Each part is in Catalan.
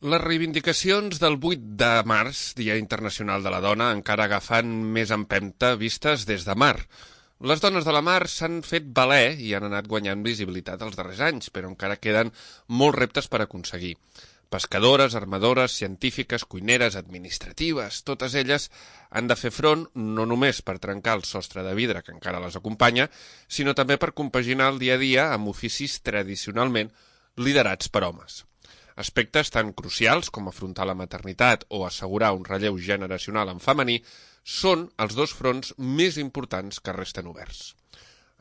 Les reivindicacions del 8 de març, Dia Internacional de la Dona, encara agafen més empenta vistes des de mar. Les dones de la mar s'han fet valer i han anat guanyant visibilitat els darrers anys, però encara queden molts reptes per aconseguir. Pescadores, armadores, científiques, cuineres, administratives, totes elles han de fer front no només per trencar el sostre de vidre que encara les acompanya, sinó també per compaginar el dia a dia amb oficis tradicionalment liderats per homes. Aspectes tan crucials com afrontar la maternitat o assegurar un relleu generacional en femení són els dos fronts més importants que resten oberts.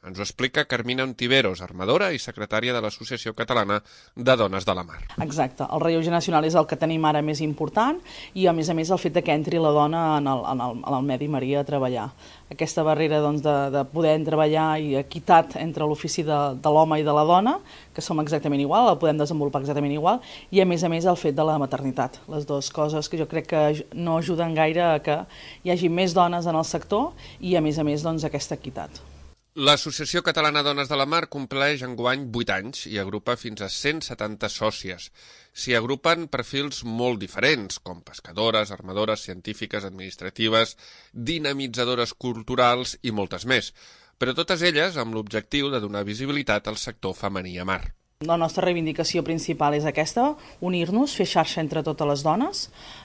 Ens ho explica Carmina Ontiveros, armadora i secretària de l'Associació Catalana de Dones de la Mar. Exacte, el relleu generacional és el que tenim ara més important i a més el fet que entri la dona en el medi marí a treballar. Aquesta barrera de poder treballar i equitat entre l'ofici de l'home i de la dona, que som exactament igual, el podem desenvolupar exactament igual, i a més el fet de la maternitat. Les dues coses que jo crec que no ajuden gaire a que hi hagi més dones en el sector i a més aquesta equitat. L'Associació Catalana Dones de la Mar compleix enguany 8 anys i agrupa fins a 170 sòcies. S'hi agrupen perfils molt diferents, com pescadores, armadores, científiques, administratives, dinamitzadores culturals i moltes més, però totes elles amb l'objectiu de donar visibilitat al sector femení a mar. La nostra reivindicació principal és aquesta, unir-nos, fer xarxa entre totes les dones,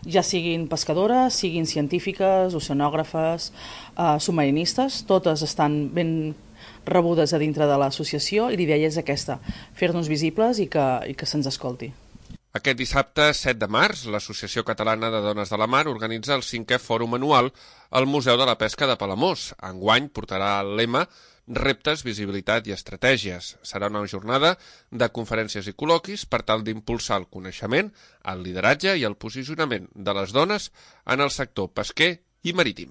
ja siguin pescadores, siguin científiques, oceanògrafes, submarinistes, totes estan ben rebudes a dintre de l'associació i l'idea és aquesta, fer-nos visibles i que se'ns escolti. Aquest dissabte 7 de març, l'Associació Catalana de Dones de la Mar organitza el 5è Fòrum Anual al Museu de la Pesca de Palamós. Enguany portarà el lema Reptes, visibilitat i estratègies. Serà una jornada de conferències i col·loquis per tal d'impulsar el coneixement, el lideratge i el posicionament de les dones en el sector pesquer i marítim.